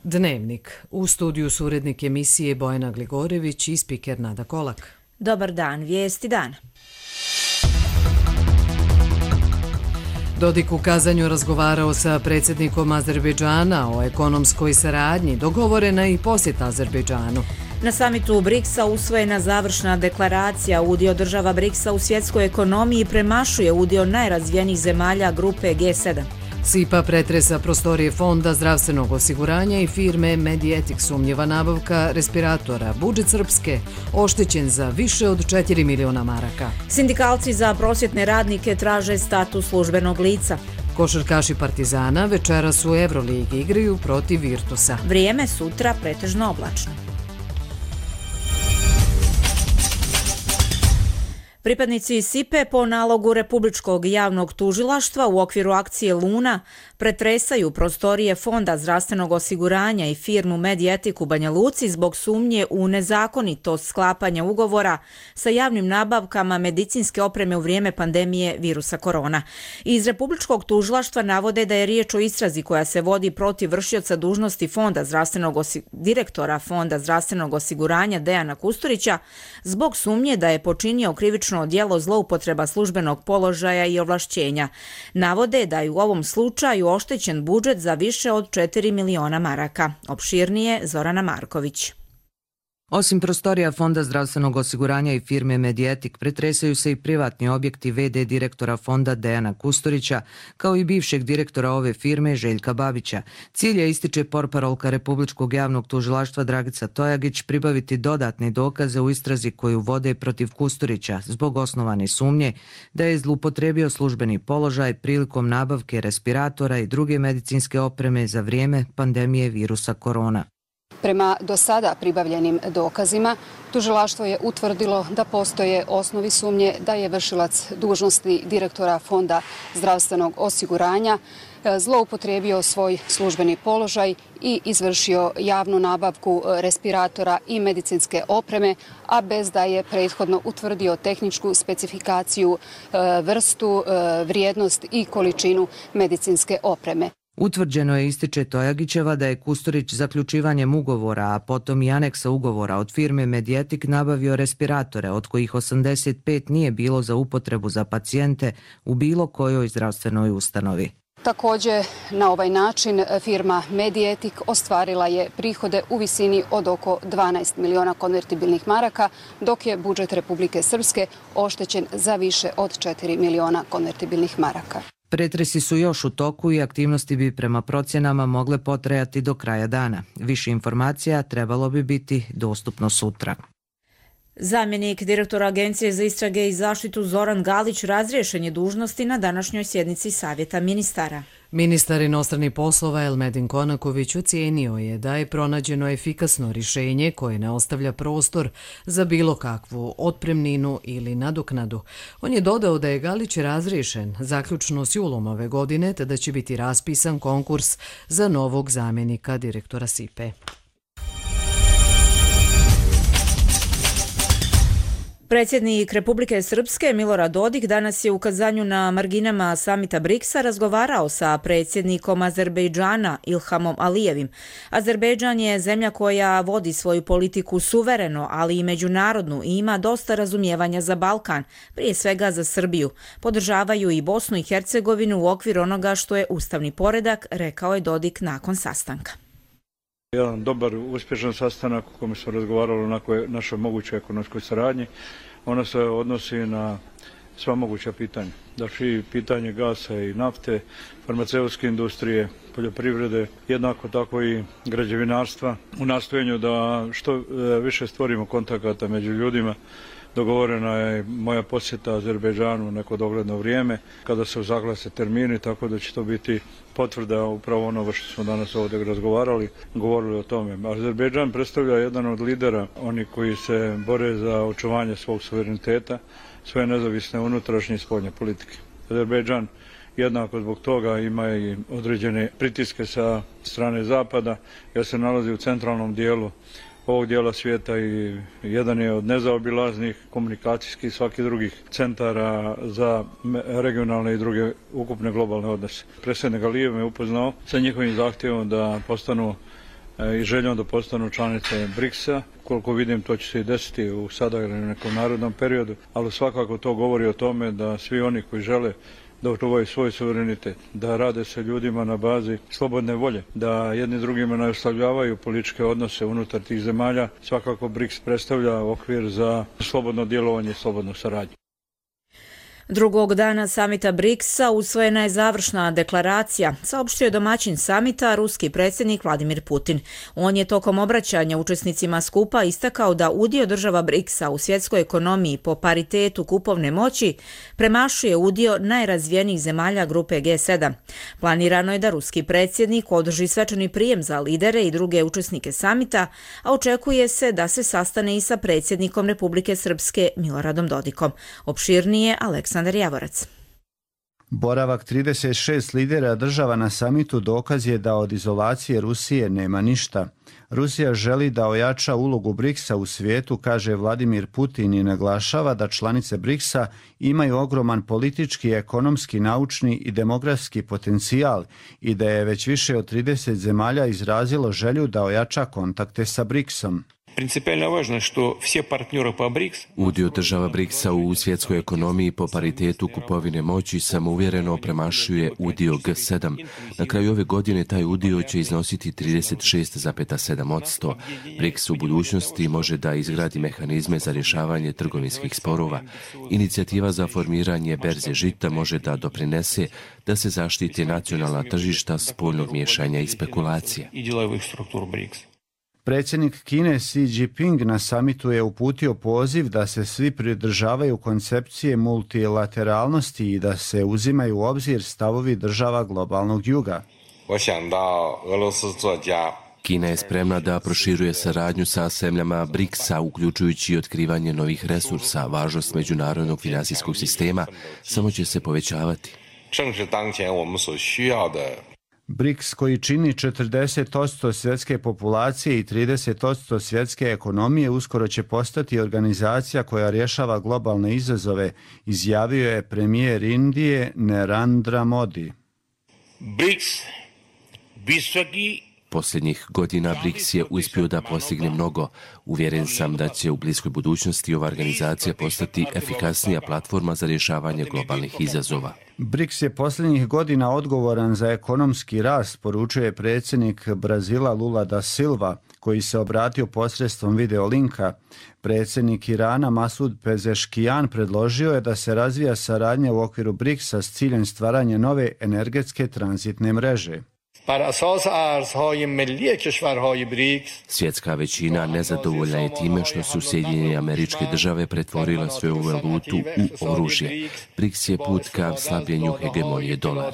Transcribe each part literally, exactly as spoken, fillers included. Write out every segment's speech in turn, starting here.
Dnevnik. U studiju su urednik emisije Bojana Gligorević i spiker Nada Kolak. Dobar dan, vijesti dana. Dodik u Kazanju razgovarao sa predsjednikom Azerbejdžana o ekonomskoj saradnji, dogovorena i posjeta Azerbejdžanu. Na samitu briksa usvojena završna deklaracija. Udio država briksa u svjetskoj ekonomiji premašuje udio najrazvijenijih zemalja grupe G sedam. S I P A pretresa prostorije Fonda zdravstvenog osiguranja i firme Medietik, sumnjiva nabavka respiratora. Budžet Srpske oštećen za više od četiri miliona maraka. Sindikalci za prosvjetne radnike traže status službenog lica. Košarkaši Partizana večeras u Evroligi igraju protiv Virtusa. Vrijeme sutra pretežno oblačno. Pripadnici S I P E po nalogu Republičkog javnog tužilaštva u okviru akcije Luna pretresaju prostorije Fonda zdravstvenog osiguranja i firmu Medietik u Banja Luci zbog sumnje u nezakonitost sklapanja ugovora sa javnim nabavkama medicinske opreme u vrijeme pandemije virusa korona. Iz Republičkog tužilaštva navode da je riječ o istrazi koja se vodi protiv vršioca dužnosti Fonda zdravstvenog osi- direktora Fonda zdravstvenog osiguranja Dejana Kusturića zbog sumnje da je počinio krivično djelo zloupotreba službenog položaja i ovlašćenja. Navode da je u ovom slučaju oštećen budžet za više od četiri miliona maraka. Opširnije Zorana Marković. Osim prostorija Fonda zdravstvenog osiguranja i firme Medietik, pretresaju se i privatni objekti V D direktora fonda Dejana Kusturića, kao i bivšeg direktora ove firme Željka Babića. Cilj je, ističe portparolka Republičkog javnog tužilaštva Dragica Tojagić, pribaviti dodatne dokaze u istrazi koju vode protiv Kusturića zbog osnovane sumnje da je zloupotrebio službeni položaj prilikom nabavke respiratora i druge medicinske opreme za vrijeme pandemije virusa korona. Prema do sada pribavljenim dokazima, tužilaštvo je utvrdilo da postoje osnovi sumnje da je vršilac dužnosti direktora Fonda zdravstvenog osiguranja zloupotrijebio svoj službeni položaj i izvršio javnu nabavku respiratora i medicinske opreme, a bez da je prethodno utvrdio tehničku specifikaciju, vrstu, vrijednost i količinu medicinske opreme. Utvrđeno je, ističe Tojagićeva, da je Kusturić zaključivanjem ugovora, a potom i aneksa ugovora od firme Medietik nabavio respiratore, od kojih osamdeset pet nije bilo za upotrebu za pacijente u bilo kojoj zdravstvenoj ustanovi. Također, na ovaj način firma Medietik ostvarila je prihode u visini od oko dvanaest miliona konvertibilnih maraka, dok je budžet Republike Srpske oštećen za više od četiri miliona konvertibilnih maraka. Pretresi su još u toku i aktivnosti bi prema procjenama mogle potrajati do kraja dana. Više informacija trebalo bi biti dostupno sutra. Zamjenik direktora Agencije za istrage i zaštitu Zoran Galić razriješen je dužnosti na današnjoj sjednici Savjeta ministara. Ministar inostranih poslova Elmedin Konaković ocijenio je da je pronađeno efikasno rješenje koje ne ostavlja prostor za bilo kakvu otpremninu ili nadoknadu. On je dodao da je Galić razriješen zaključno s julom ove godine, te da će biti raspisan konkurs za novog zamjenika direktora S I P E. Predsjednik Republike Srpske Milorad Dodik danas je u Kazanju na marginama samita briksa razgovarao sa predsjednikom Azerbejdžana Ilhamom Alijevim. Azerbejdžan je zemlja koja vodi svoju politiku suvereno, ali i međunarodnu i ima dosta razumijevanja za Balkan, prije svega za Srbiju. Podržavaju i Bosnu i Hercegovinu u okviru onoga što je ustavni poredak, rekao je Dodik nakon sastanka. Jedan dobar, uspješan sastanak u kojem smo razgovarali o našoj mogućoj ekonomskoj saradnji. Ona se odnosi na sva moguća pitanja. Znači, pitanje gasa i nafte, farmaceutske industrije, poljoprivrede, jednako tako i građevinarstva. U nastojenju da što više stvorimo kontakata među ljudima, dogovorena je moja posjeta Azerbejdžanu neko dogledno vrijeme, kada se uzaglase termini, tako da će to biti potvrda upravo onoga što smo danas ovdje razgovarali, govorili o tome. Azerbejdžan predstavlja jedan od lidera, oni koji se bore za očuvanje svog suvereniteta, svoje nezavisne unutrašnje i spoljne politike. Azerbejdžan jednako zbog toga ima i određene pritiske sa strane Zapada, jer se nalazi u centralnom dijelu ovog dijela svijeta i jedan je od nezaobilaznih komunikacijskih i svakih drugih centara za regionalne i druge ukupne globalne odnose. Predsjednik Alijev me upoznao sa njihovim zahtjevom da postanu i željom da postanu članice briksa. Koliko vidim, to će se i desiti u sada ili nekom narodnom periodu, ali svakako to govori o tome da svi oni koji žele da očuvaju svoj suverenitet, da rade sa ljudima na bazi slobodne volje, da jedni drugima ne ostavljavaju političke odnose unutar tih zemalja, svakako briks predstavlja okvir za slobodno djelovanje i slobodnu saradnju. Drugog dana samita briksa usvojena je završna deklaracija, saopštio je domaćin samita ruski predsjednik Vladimir Putin. On je tokom obraćanja učesnicima skupa istakao da udio država briksa u svjetskoj ekonomiji po paritetu kupovne moći premašuje udio najrazvijenijih zemalja grupe G sedam. Planirano je da ruski predsjednik održi svečani prijem za lidere i druge učesnike samita, a očekuje se da se sastane i sa predsjednikom Republike Srpske Miloradom Dodikom. Opširnije Aleksandar Javorac. Boravak trideset šest lidera država na samitu dokaz je da od izolacije Rusije nema ništa. Rusija želi da ojača ulogu briksa u svijetu, kaže Vladimir Putin i naglašava da članice briksa imaju ogroman politički, ekonomski, naučni i demografski potencijal i da je već više od trideset zemalja izrazilo želju da ojača kontakte sa briksom. Udio država briksa u svjetskoj ekonomiji po paritetu kupovine moći samouvjereno premašuje udio G sedam. Na kraju ove godine taj udio će iznositi trideset šest zarez sedam posto. briks u budućnosti može da izgradi mehanizme za rješavanje trgovinskih sporova. Inicijativa za formiranje berze žita može da doprinese da se zaštiti nacionalna tržišta spoljnog miješanja i spekulacije. Predsjednik Kine Xi Jinping na samitu je uputio poziv da se svi pridržavaju koncepcije multilateralnosti i da se uzimaju u obzir stavovi država globalnog juga. Kina je spremna da proširuje saradnju sa zemljama briksa, uključujući i otkrivanje novih resursa. Važnost međunarodnog finansijskog sistema samo će se povećavati. briks, koji čini četrdeset posto svjetske populacije i trideset posto svjetske ekonomije, uskoro će postati organizacija koja rješava globalne izazove, izjavio je premijer Indije Narendra Modi. briks Posljednjih godina briks je uspio da postigne mnogo. Uvjeren sam da će u bliskoj budućnosti ova organizacija postati efikasnija platforma za rješavanje globalnih izazova. briks je posljednjih godina odgovoran za ekonomski rast, poručuje predsjednik Brazila Lula da Silva, koji se obratio posredstvom videolinka. Predsjednik Irana Masud Pezeškijan predložio je da se razvija saradnja u okviru briksa s ciljem stvaranja nove energetske tranzitne mreže. Svjetska većina nezadovoljna je time što su Sjedinjene Američke Države pretvorile svoju valutu u oružje. briks je put ka slabljenju hegemonije dolara.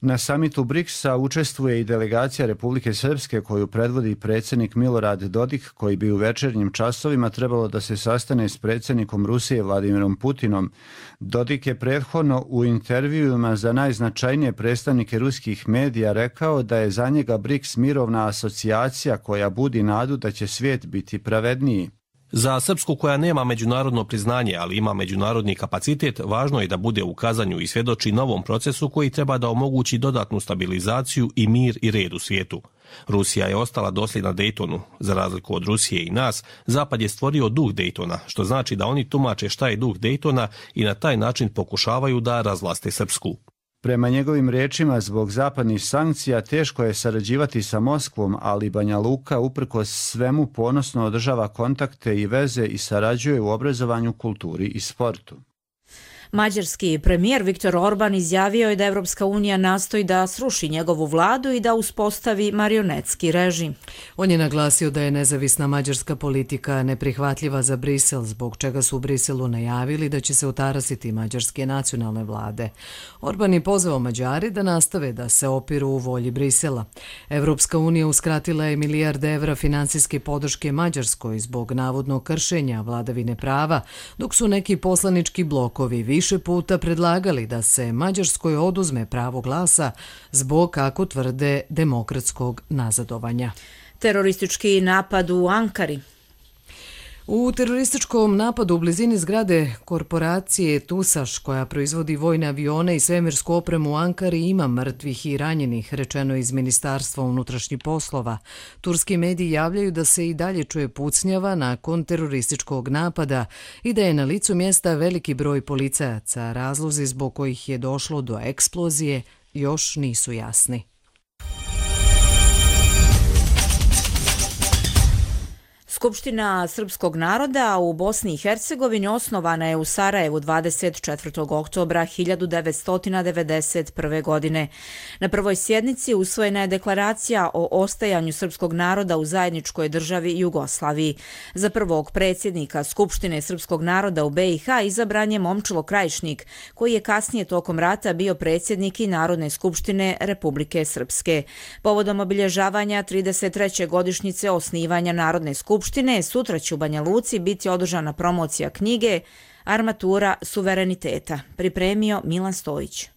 Na samitu briksa učestvuje i delegacija Republike Srpske koju predvodi predsjednik Milorad Dodik, koji bi u večernjim časovima trebalo da se sastane s predsjednikom Rusije Vladimirom Putinom. Dodik je prethodno u intervjuima za najznačajnije predstavnike ruskih medija rekao da je za njega briks mirovna asocijacija koja budi nadu da će svijet biti pravedniji. Za Srpsku, koja nema međunarodno priznanje, ali ima međunarodni kapacitet, važno je da bude u kazanju i svjedoči novom procesu koji treba da omogući dodatnu stabilizaciju i mir i red u svijetu. Rusija je ostala dosljedna Daytonu. Za razliku od Rusije i nas, Zapad je stvorio duh Daytona, što znači da oni tumače šta je duh Daytona i na taj način pokušavaju da razvlaste Srpsku. Prema njegovim riječima, zbog zapadnih sankcija teško je sarađivati sa Moskvom, ali Banja Luka uprkos svemu ponosno održava kontakte i veze i sarađuje u obrazovanju, kulturi i sportu. Mađarski premijer Viktor Orban izjavio je da Evropska unija nastoji da sruši njegovu vladu i da uspostavi marionetski režim. On je naglasio da je nezavisna mađarska politika neprihvatljiva za Brisel, zbog čega su u Briselu najavili da će se otarasiti mađarske nacionalne vlade. Orban je pozvao Mađari da nastave da se opiru u volji Brisela. Evropska unija uskratila je milijarde evra finansijske podrške Mađarskoj zbog navodnog kršenja vladavine prava, dok su neki poslanički blokovi više puta predlagali da se Mađarskoj oduzme pravo glasa zbog, kako tvrde, demokratskog nazadovanja. Teroristički napad u Ankari. U terorističkom napadu u blizini zgrade korporacije Tusaš, koja proizvodi vojne avione i svemirsku opremu u Ankari, ima mrtvih i ranjenih, rečeno iz Ministarstva unutrašnjih poslova. Turski mediji javljaju da se i dalje čuje pucnjava nakon terorističkog napada i da je na licu mjesta veliki broj policajaca. Razlozi zbog kojih je došlo do eksplozije još nisu jasni. Skupština srpskog naroda u Bosni i Hercegovini osnovana je u Sarajevu dvadeset četvrtog oktobra hiljadu devetsto devedeset prve. godine. Na prvoj sjednici usvojena je deklaracija o ostajanju srpskog naroda u zajedničkoj državi Jugoslaviji. Za prvog predsjednika Skupštine srpskog naroda u B i H izabran je Momčilo Krajišnik, koji je kasnije tokom rata bio predsjednik i Narodne skupštine Republike Srpske. Povodom obilježavanja trideset treće godišnjice osnivanja Narodne skupštine, sutra će u Banja Luci biti održana promocija knjige Armatura suvereniteta. Pripremio Milan Stojić.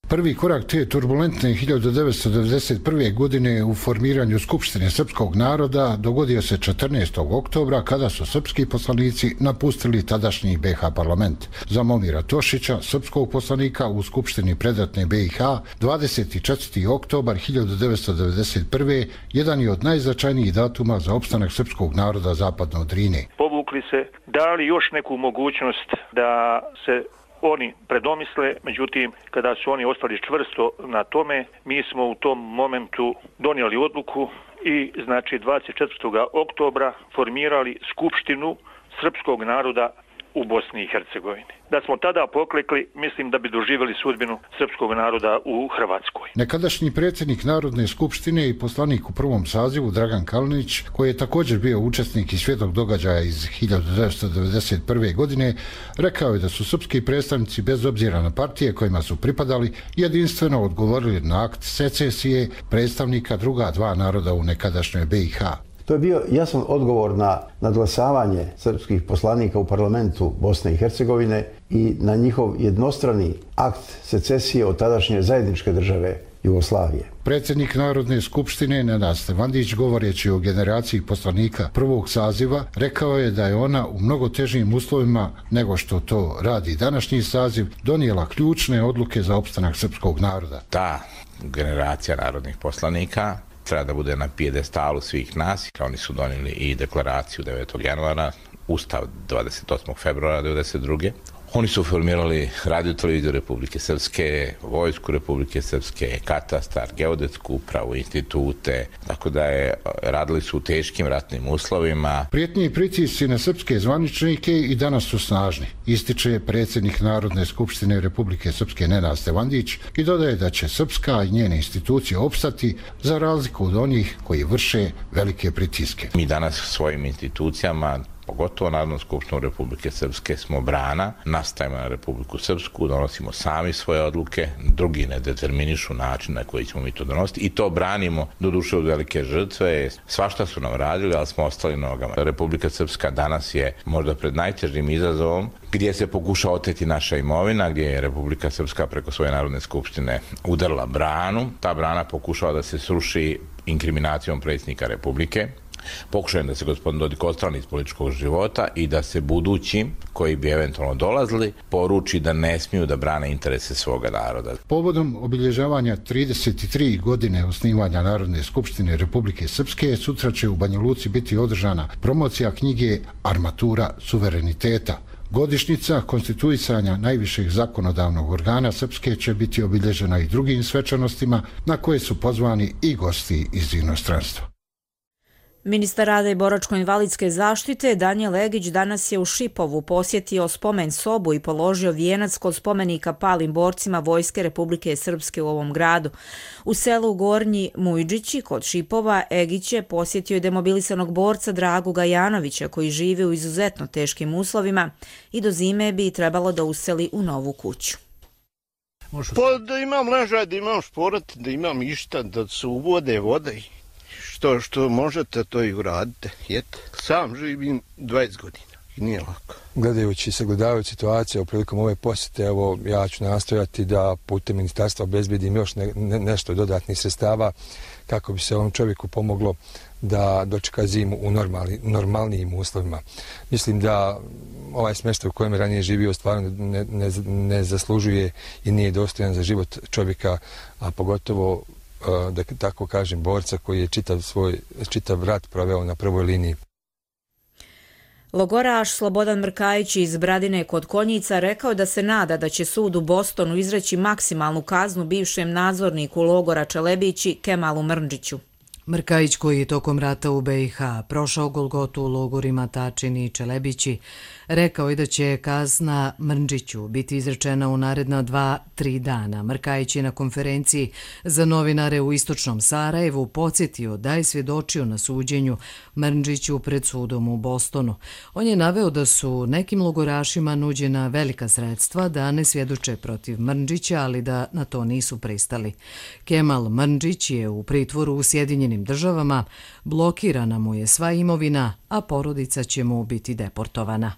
Prvi korak te turbulentne hiljadu devetsto devedeset prve. godine u formiranju Skupštine srpskog naroda dogodio se četrnaestog oktobra kada su srpski poslanici napustili tadašnji B i H parlament. Za Momira Tošića, srpskog poslanika u Skupštini predratne B i H, dvadeset četvrti oktobar hiljadu devetsto devedeset prve. jedan je od najznačajnijih datuma za opstanak srpskog naroda zapadno od Drine. Povukli se, dali još neku mogućnost da se oni predomisle, međutim, kada su oni ostali čvrsto na tome, mi smo u tom momentu donijeli odluku i, znači, dvadeset četvrtog oktobra formirali Skupštinu srpskog naroda u Bosni i Hercegovini. Da smo tada poklekli, mislim da bi doživjeli sudbinu srpskog naroda u Hrvatskoj. Nekadašnji predsjednik Narodne skupštine i poslanik u prvom sazivu Dragan Kalinić, koji je također bio učesnik i svjedok događaja iz hiljadu devetsto devedeset prve. godine, rekao je da su srpski predstavnici bez obzira na partije kojima su pripadali jedinstveno odgovorili na akt secesije predstavnika druga dva naroda u nekadašnjoj B i H. To je bio jasan odgovor na nadglasavanje srpskih poslanika u parlamentu Bosne i Hercegovine i na njihov jednostrani akt secesije od tadašnje zajedničke države Jugoslavije. Predsjednik Narodne skupštine Nenad Stevandić, govoreći o generaciji poslanika prvog saziva, rekao je da je ona u mnogo težim uslovima nego što to radi današnji saziv donijela ključne odluke za opstanak srpskog naroda. Ta generacija narodnih poslanika treba da bude na pijedestalu svih nas. Oni su donijeli i deklaraciju devetog januara, Ustav dvadeset osmog februara devedeset druge. Oni su formirali Radio televiziju Republike Srpske, Vojsku Republike Srpske, katastar, geodetsku upravu, institute, tako da je, radili su u teškim ratnim uslovima. Prijetnji i pritisci na srpske zvaničnike i danas su snažni, ističe predsjednik Narodne skupštine Republike Srpske Nenad Stevandić i dodaje da će Srpska i njene institucije opstati za razliku od onih koji vrše velike pritiske. Mi danas svojim institucijama, pogotovo Narodnom skupštinu Republike Srpske, smo brana, nastajemo na Republiku Srpsku, donosimo sami svoje odluke, drugi ne determinišu način na koji ćemo mi to donositi i to branimo do duše od velike žrtve. Svašta su nam radili, ali smo ostali nogama. Republika Srpska danas je možda pred najtežim izazovom gdje se pokuša oteti naša imovina, gdje je Republika Srpska preko svoje Narodne skupštine udarila branu. Ta brana pokušava da se sruši inkriminacijom predsjednika Republike. Pokušajem da se gospodin Dodik odstrani iz političkog života i da se budućim, koji bi eventualno dolazili, poruči da ne smiju da brane interese svoga naroda. Povodom obilježavanja trideset tri godine osnivanja Narodne skupštine Republike Srpske, sutra će u Banja Luci biti održana promocija knjige Armatura suvereniteta. Godišnjica konstituisanja najvišeg zakonodavnog organa Srpske će biti obilježena i drugim svečanostima na koje su pozvani i gosti iz inostranstva. Ministar rada i boračko-invalidske zaštite Danijel Egić danas je u Šipovu posjetio spomen sobu i položio vijenac kod spomenika palim borcima Vojske Republike Srpske u ovom gradu. U selu Gornji Mujđići kod Šipova Egić je posjetio i demobilisanog borca Dragu Gajanovića koji živi u izuzetno teškim uslovima i do zime bi trebalo da useli u novu kuću. Pa da imam ležaj, da imam šporat, da imam išta, da se uvode vode. Što, što možete, to i uradite. Jete. Sam živim dvadeset godina i nije lako. Gledajući i sagledavajući situaciju u prilikom ove posjete, evo, ja ću nastojati da putem ministarstva obezbedim još ne, ne, nešto dodatnih sredstava kako bi se ovom čovjeku pomoglo da dočeka zimu u normalni, normalnijim uslovima. Mislim da ovaj smještaj u kojem je ranije živio stvarno ne, ne, ne zaslužuje i nije dostojan za život čovjeka, a pogotovo, da tako kažem, borca koji je čitav svoj čitav rat proveo na prvoj liniji. Logoraš Slobodan Mrkajić iz Bradine kod Konjica rekao da se nada da će sud u Bostonu izreći maksimalnu kaznu bivšem nadzorniku logora Čelebići Kemalu Mrndžiću. Mrkajić, koji je tokom rata u be i ha prošao golgotu u logorima Tačin i Čelebići, rekao je da će kazna Mrndžiću biti izrečena u naredna dva, tri dana. Mrkajić je na konferenciji za novinare u istočnom Sarajevu podsjetio da je svjedočio na suđenju Mrndžiću pred sudom u Bostonu. On je naveo da su nekim logorašima nuđena velika sredstva da ne svjedoče protiv Mrndžića, ali da na to nisu pristali. Kemal Mrndžić je u pritvoru u Sjedinjenim državama, blokirana mu je sva imovina, a porodica će mu biti deportovana.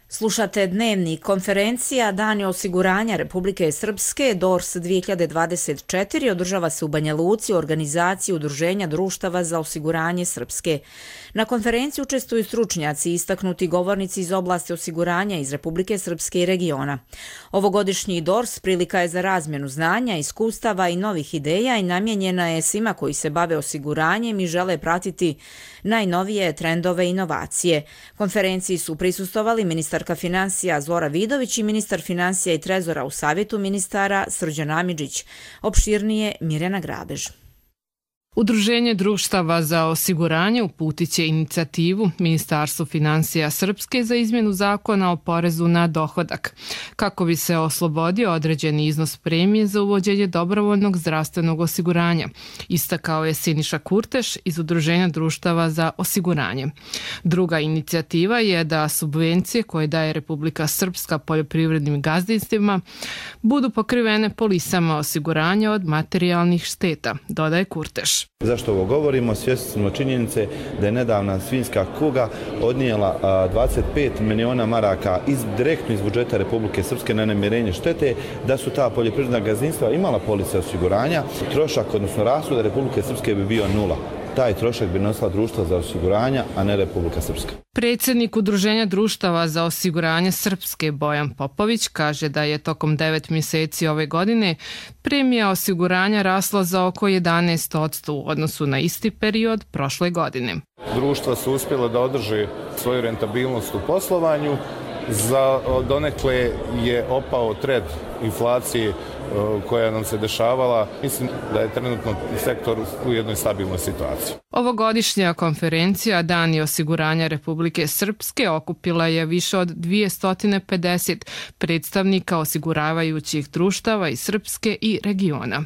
Slušate Dnevnik. Konferencija Dani osiguranja Republike Srpske D O R S dvije hiljade dvadeset četiri održava se u Banja Luci u organizaciji Udruženja društava za osiguranje Srpske. Na konferenciji učestvuju stručnjaci i istaknuti govornici iz oblasti osiguranja iz Republike Srpske i regiona. Ovogodišnji D O R S prilika je za razmjenu znanja, iskustava i novih ideja i namijenjena je svima koji se bave osiguranjem i žele pratiti najnovije trendove i inovacije. Konferenciji su prisustvovali ministarka financija Zora Vidović i ministar financija i trezora u savjetu ministara Srđan Amidžić. Opširnije Mirjana Grabež. Udruženje društava za osiguranje uputit će inicijativu Ministarstvu financija Srpske za izmjenu zakona o porezu na dohodak, kako bi se oslobodio određeni iznos premije za uvođenje dobrovoljnog zdravstvenog osiguranja, istakao je Siniša Kurteš iz Udruženja društava za osiguranje. Druga inicijativa je da subvencije koje daje Republika Srpska poljoprivrednim gazdinstvima budu pokrivene polisama osiguranja od materijalnih šteta, dodaje Kurteš. Zašto ovo govorimo? Svjesni smo činjenice da je nedavna svinjska kuga odnijela dvadeset pet miliona maraka iz, direktno iz budžeta Republike Srpske na namirenje štete, da su ta poljoprivredna gazdinstva imala polise osiguranja. Trošak, odnosno rashod Republike Srpske bi bio nula. Taj trošak bi nosila društva za osiguranja, a ne Republika Srpska. Predsjednik Udruženja društava za osiguranje Srpske Bojan Popović kaže da je tokom devet mjeseci ove godine premija osiguranja rasla za oko jedanaest posto u odnosu na isti period prošle godine. Društva su uspjela da održe svoju rentabilnost u poslovanju. Za donekle je opao trend inflacije koja nam se dešavala. Mislim da je trenutno sektor u jednoj stabilnoj situaciji. Ovogodišnja konferencija Dani osiguranja Republike Srpske okupila je više od dvjesto pedeset predstavnika osiguravajućih društava iz Srpske i regiona.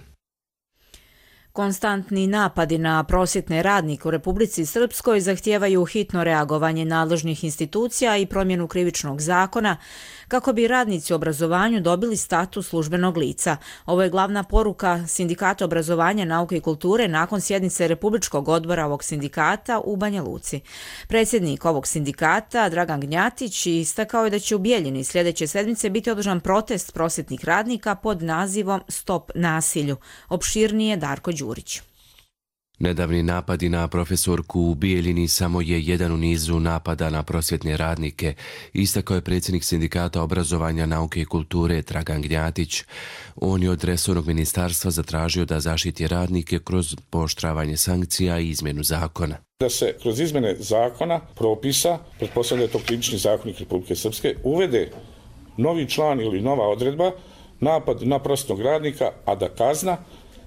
Konstantni napadi na prosvjetne radnike u Republici Srpskoj zahtijevaju hitno reagovanje nadležnih institucija i promjenu krivičnog zakona kako bi radnici u obrazovanju dobili status službenog lica. Ovo je glavna poruka Sindikata obrazovanja, nauke i kulture nakon sjednice Republičkog odbora ovog sindikata u Banja Luci. Predsjednik ovog sindikata, Dragan Gnjatić, istakao je da će u Bijeljini sljedeće sedmice biti održan protest prosvjetnih radnika pod nazivom Stop nasilju. Opširnije Darko Đurić. Nedavni napadi na profesorku u Bijeljini samo je jedan u nizu napada na prosvjetne radnike, istakao je predsjednik Sindikata obrazovanja, nauke i kulture Dragan Gnjatić. On je od resornog ministarstva zatražio da zaštiti radnike kroz pooštravanje sankcija i izmjenu zakona. Da se kroz izmjene zakona, propisa, pretpostavlja to krivični zakonik Republike Srpske, uvede novi član ili nova odredba, napad na prosvjetnog radnika, a da kazna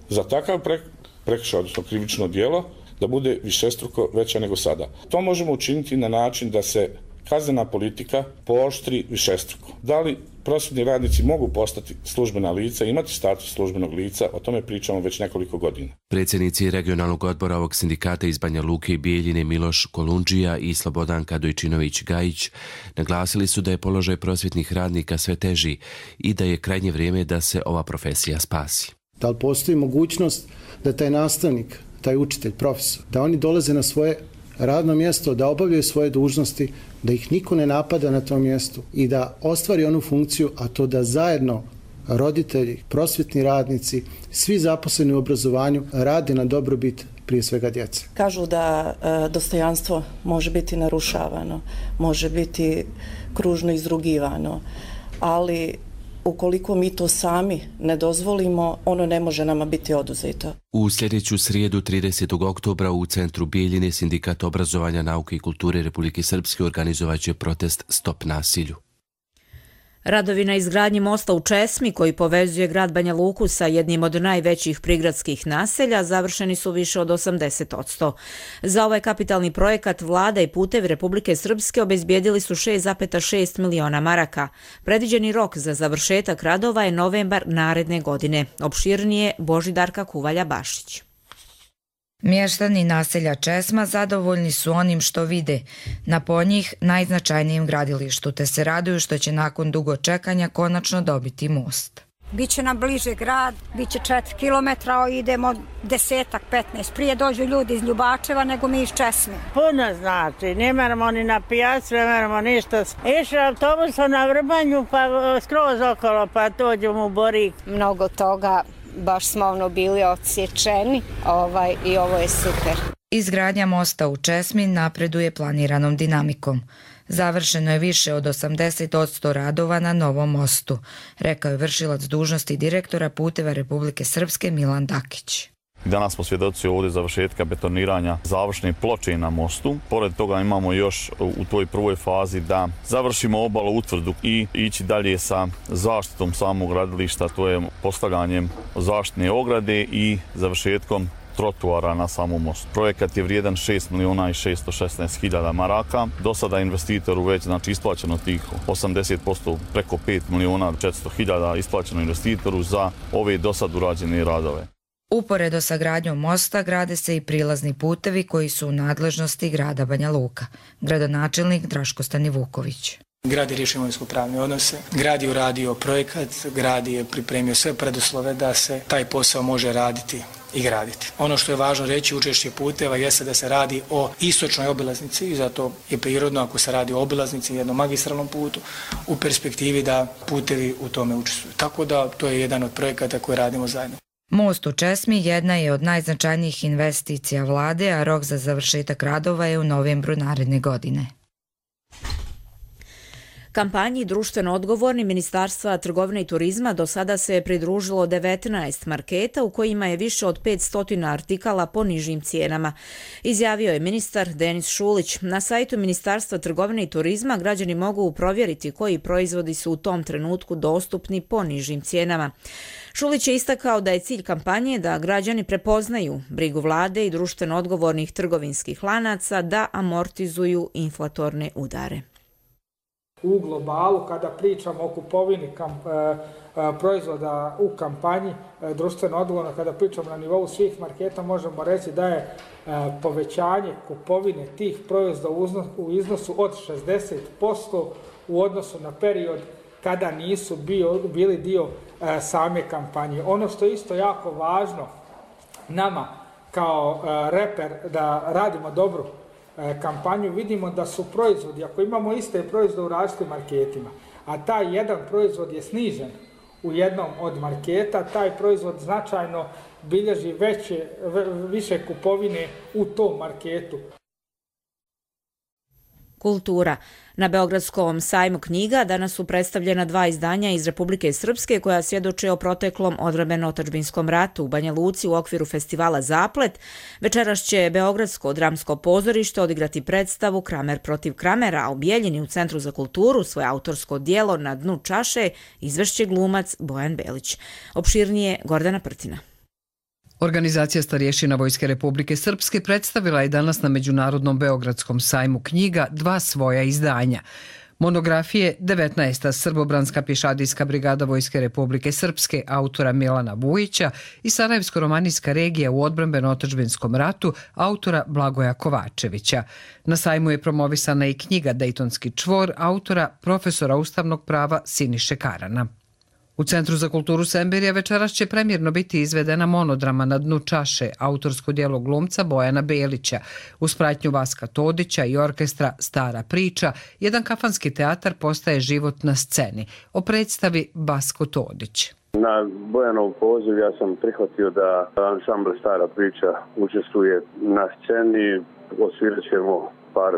za takav pre prekršaj, odnosno krivično djelo, da bude višestruko veća nego sada. To možemo učiniti na način da se kaznena politika pooštri višestruko. Da li prosvjetni radnici mogu postati službena lica, imati status službenog lica, o tome pričamo već nekoliko godina. Predsjednici regionalnog odbora ovog sindikata iz Banja Luke i Bijeljine Miloš Kolundžija i Slobodanka Dojčinović-Gajić naglasili su da je položaj prosvjetnih radnika sve teži i da je krajnje vrijeme da se ova profesija spasi. Da li postoji mogućnost da taj nastavnik, taj učitelj, profesor, da oni dolaze na svoje radno mjesto, da obavljaju svoje dužnosti, da ih niko ne napada na tom mjestu i da ostvari onu funkciju, a to da zajedno roditelji, prosvjetni radnici, svi zaposleni u obrazovanju rade na dobrobit prije svega djece. Kažu da e, dostojanstvo može biti narušavano, može biti kružno izrugivano, ali ukoliko mi to sami ne dozvolimo, ono ne može nama biti oduzeto. U sljedeću srijedu tridesetog oktobra u centru Bijeljine Sindikat obrazovanja, nauke i kulture Republike Srpske organizovat će protest Stop nasilju. Radovi na izgradnji mosta u Česmi, koji povezuje grad Banja Luku sa jednim od najvećih prigradskih naselja, završeni su više od osamdeset posto. Za ovaj kapitalni projekat Vlada i Putevi Republike Srpske obezbijedili su šest zarez šest miliona maraka. Predviđeni rok za završetak radova je novembar naredne godine. Opširnije Božidarka Kuvalja-Bašić. Mještani naselja Česma zadovoljni su onim što vide na po njih najznačajnijem gradilištu, te se raduju što će nakon dugo čekanja konačno dobiti most. Biće nam bliže grad, biće četiri kilometra, idemo desetak, petnaest. Prije dođu ljudi iz Ljubačeva nego mi iz Česme. Puno znači, ne moramo ni na pijacu, ne moramo ništa. Išli autobusom na Vrbanju pa skroz okolo pa dođemo u Borik. Mnogo toga. Baš smo ono bili odsječeni ovaj, i ovo je super. Izgradnja mosta u Česmi napreduje planiranom dinamikom. Završeno je više od osamdeset posto radova na novom mostu, rekao je vršilac dužnosti direktora Puteva Republike Srpske Milan Dakić. Danas smo svjedoci ovdje završetka betoniranja završne ploče na mostu. Pored toga imamo još u toj prvoj fazi da završimo obalu utvrdu i ići dalje sa zaštitom samog gradilišta, to je postavljanjem zaštitne ograde i završetkom trotuara na samom mostu. Projekat je vrijedan šest miliona i šesto šesnaest hiljada maraka. Do sada investitoru već znači isplaćeno tih osamdeset posto, preko pet miliona četiristo hiljada isplaćeno investitoru za ove do sad urađene radove. Uporedo sa gradnjom mosta grade se i prilazni putevi koji su u nadležnosti grada Banja Luka. Gradonačelnik Draško Stanivuković. Grad je riješio imovinsko-pravne odnose, grad je uradio projekat, grad je pripremio sve preduslove da se taj posao može raditi i graditi. Ono što je važno reći, učešće puteva jeste da se radi o istočnoj obilaznici i zato je prirodno ako se radi o obilaznici, jednom magistralnom putu, u perspektivi da putevi u tome učestvuju. Tako da to je jedan od projekata koje radimo zajedno. Most u Česmi jedna je od najznačajnijih investicija vlade, a rok za završetak radova je u novembru naredne godine. Kampanji društveno odgovorni Ministarstva trgovine i turizma do sada se je pridružilo devetnaest marketa u kojima je više od petsto artikala po nižim cijenama. Izjavio je ministar Denis Šulić. Na sajtu Ministarstva trgovine i turizma građani mogu provjeriti koji proizvodi su u tom trenutku dostupni po nižim cijenama. Šulić je istakao da je cilj kampanje da građani prepoznaju brigu vlade i društveno odgovornih trgovinskih lanaca da amortizuju inflatorne udare. U globalu, kada pričamo o kupovini kamp, e, e, proizvoda u kampanji, e, društveno odgovorno, kada pričamo na nivou svih marketa, možemo reći da je e, povećanje kupovine tih proizvoda u, uznos, u iznosu od šezdeset posto u odnosu na period kada nisu bio, bili dio e, same kampanje. Ono što je isto jako važno nama kao e, reper da radimo dobru kampanju, vidimo da su proizvodi, ako imamo iste proizvode u različitim marketima, a taj jedan proizvod je snižen u jednom od marketa, taj proizvod značajno bilježi veće, više kupovine u tom marketu. Kultura. Na Beogradskom sajmu knjiga danas su predstavljena dva izdanja iz Republike Srpske koja svjedoče o proteklom odbrambeno-otadžbinskom ratu u Banja Luci u okviru festivala Zaplet. Večeras će Beogradsko dramsko pozorište odigrati predstavu Kramer protiv Kramera, a u Bijeljini u Centru za kulturu svoje autorsko djelo Na dnu čaše izvešće glumac Bojan Belić. Opširnije Gordana Prtina. Organizacija starješina Vojske Republike Srpske predstavila je danas na Međunarodnom Beogradskom sajmu knjiga dva svoja izdanja. Monografije devetnaesta Srbobranska pješadijska brigada Vojske Republike Srpske autora Milana Vujića i Sarajevsko-romanijska regija u odbrambeno-otadžbinskom ratu autora Blagoja Kovačevića. Na sajmu je promovisana i knjiga Dejtonski čvor autora profesora ustavnog prava Siniše Karana. U Centru za kulturu Semberija večeras će premjerno biti izvedena monodrama Na dnu čaše, autorsko djelo glumca Bojana Belića. Uz pratnju Vaska Todića i orkestra Stara priča, jedan kafanski teatar postaje život na sceni. O predstavi Vasko Todić. Na Bojanov poziv ja sam prihvatio da ansambl Stara priča učestvuje na sceni, osvirat ćemo par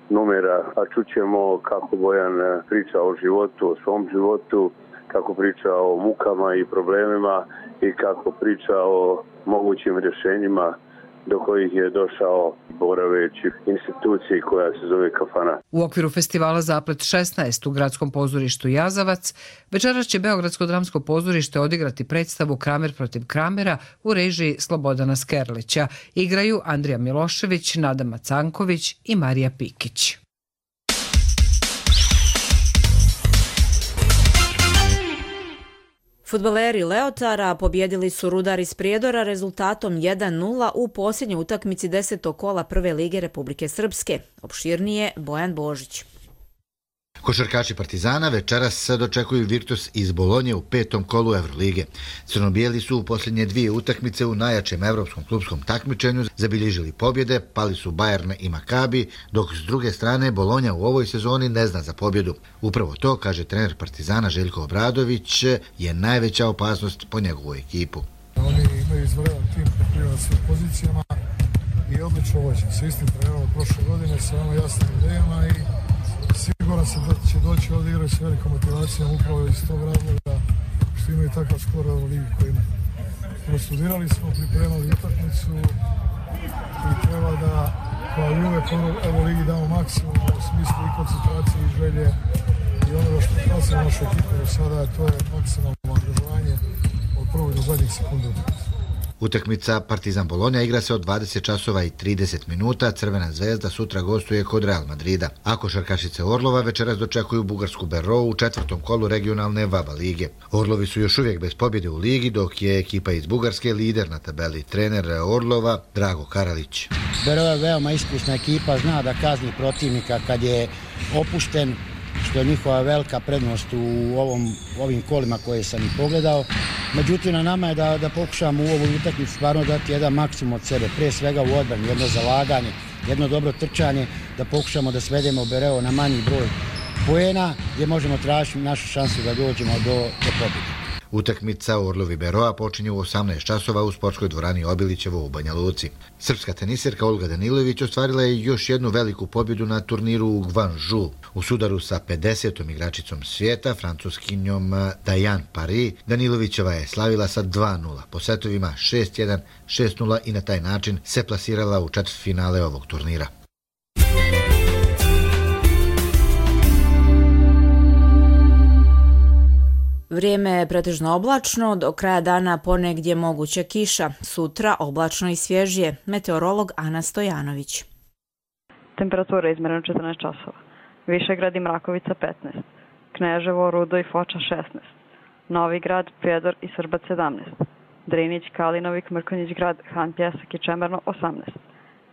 numera, a čućemo kako Bojan priča o životu, o svom životu, kako priča o mukama i problemima i kako priča o mogućim rješenjima do kojih je došao boraveći instituciji koja se zove Kafana. U okviru festivala Zaplet šesnaest u gradskom pozorištu Jazavac večeras će Beogradsko dramsko pozorište odigrati predstavu Kramer protiv Kramera u režiji Slobodana Skerlića. Igraju Andrija Milošević, Nada Macanković i Marija Pikić. Fudbaleri Leotara pobjedili su Rudar iz Prijedora rezultatom jedan nula u posljednjoj utakmici desetog kola Prve lige Republike Srpske. Opširnije Bojan Božić. Košarkaši Partizana večeras dočekuju Virtus iz Bolonje u petom kolu Evrolige. Crnobijeli su u posljednje dvije utakmice u najjačem evropskom klubskom takmičenju zabilježili pobjede, pali su Bayern i Maccabi, dok s druge strane Bolonja u ovoj sezoni ne zna za pobjedu. Upravo to, kaže trener Partizana Željko Obradović, je najveća opasnost po njegovu ekipu. Oni imaju izvredan tim na svim pozicijama i odlično vođen. Sa istim trenerom od prošle godine, sa veoma jasnim idejama i siguran sam da će doći ovdje igrati s velikom motivacijom upravo iz tog razloga što imaju takav skor u ligi koji imaju. Prostudirali smo, pripremali utakmicu i treba da kao i uvek u ligi damo maksimum u smislu i koncentracije i želje i onoga što praca našu ekipu do sada, to je maksimalno angažovanje od prvog do zadnjih sekunde utakmice. Utakmica Partizan Bolonja igra se od dvadeset časova i trideset minuta, Crvena zvezda sutra gostuje kod Real Madrida. A košarkašice Orlova večeras dočekuju bugarsku Berou u četvrtom kolu regionalne Vaba lige. Orlovi su još uvijek bez pobjede u ligi, dok je ekipa iz Bugarske lider na tabeli. Trener Orlova Drago Karalić. Berou je veoma iskusna ekipa, zna da kazni protivnika kad je opušten, što je njihova velika prednost u ovom, ovim kolima koje sam i pogledao. Međutim, na nama je da, da pokušamo u ovoj utakmici stvarno dati jedan maksimum od sebe, prije svega u odbrani, jedno zalaganje, jedno dobro trčanje, da pokušamo da svedemo Bereo na manji broj poena, gdje možemo tražiti našu šansu da dođemo do, do pobjede. Utakmica Orlovi Beroa počinje u osamnaest časova u sportskoj dvorani Obilićevo u Banja Luci. Srpska tenisirka Olga Danilović ostvarila je još jednu veliku pobjedu na turniru u Guangzhou. U sudaru sa pedesetom igračicom svijeta, francuskinjom Diane Paris, Danilovićeva je slavila sa dva nula po setovima šest jedan, šest nula i na taj način se plasirala u četvrtfinale ovog turnira. Vrijeme je pretežno oblačno, do kraja dana ponegdje moguća kiša, sutra oblačno i svježije. Meteorolog Ana Stojanović. Temperatura izmjerena četrnaest časova. Višegrad i Mrakovica petnaest, Kneževo, Rudo i Foča šesnaest, Novi Grad, Prijedor i Srbac sedamnaest, Drinić, Kalinovik, Mrkonjić Grad, Han Pjesak i Čemerno osamnaest,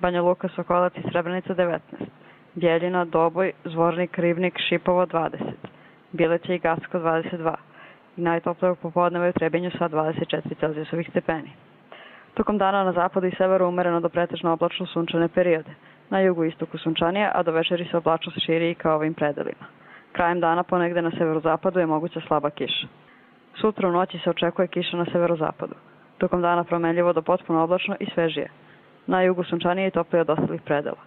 Banja Luka, Sokolac i Srebrenica devetnaest, Bjeljina, Doboj, Zvornik, Ribnik, Šipovo dvadeset, Bileće i Gacko dvadeset dva. I najtoplije popodneva u Trebinju sa dvadeset četiri Celzijusovih stepeni. Tokom dana na zapadu i severu umereno do pretežno oblačno sunčane periode. Na jugu i istoku sunčanije, a do večeri se oblačnost širi i kao ovim predelima. Krajem dana ponegde na severozapadu je moguća slaba kiša. Sutra u noći se očekuje kiša na severozapadu. Tokom dana promenljivo do potpuno oblačno i svežije. Na jugu sunčanije i toplije od ostalih predela.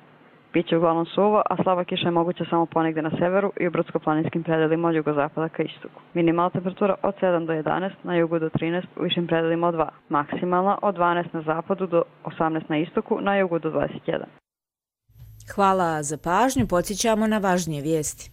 Biće uglavnom suvo, a slaba kiša je moguća samo ponegde na severu i u brdsko-planinskim predelima od jugozapada ka istoku. Minimalna temperatura od sedam do jedanaest, na jugu do trinaest, u višim predelima od dva. Maksimalna od dvanaest na zapadu do osamnaest na istoku, na jugu do dvadeset jedan. Hvala za pažnju, podsjećamo na važnije vijesti.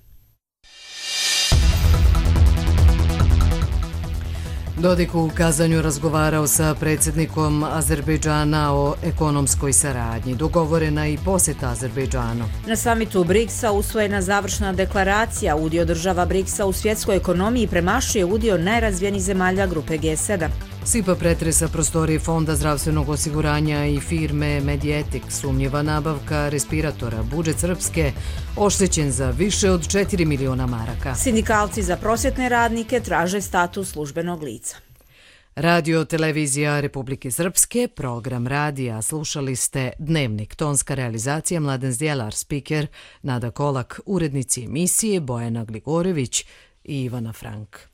Dodik u Kazanju razgovarao sa predsjednikom Azerbejdžana o ekonomskoj saradnji. Dogovorena i posjeta Azerbejdžanu. Na samitu briksa usvojena završna deklaracija. Udio država briksa u svjetskoj ekonomiji premašuje udio najrazvijenijih zemalja grupe G sedam. Sipa pretresa prostorije Fonda zdravstvenog osiguranja i firme Medietik. Sumnjiva nabavka respiratora. Budžet Srpske oštećen za više od četiri miliona maraka. Sindikalci za prosvjetne radnike traže status službenog lica. Radio Televizija Republike Srpske, program radija. Slušali ste Dnevnik, tonska realizacija Mladen Zdjelar, spiker Nada Kolak, urednici emisije Bojana Gligorević i Ivana Frank.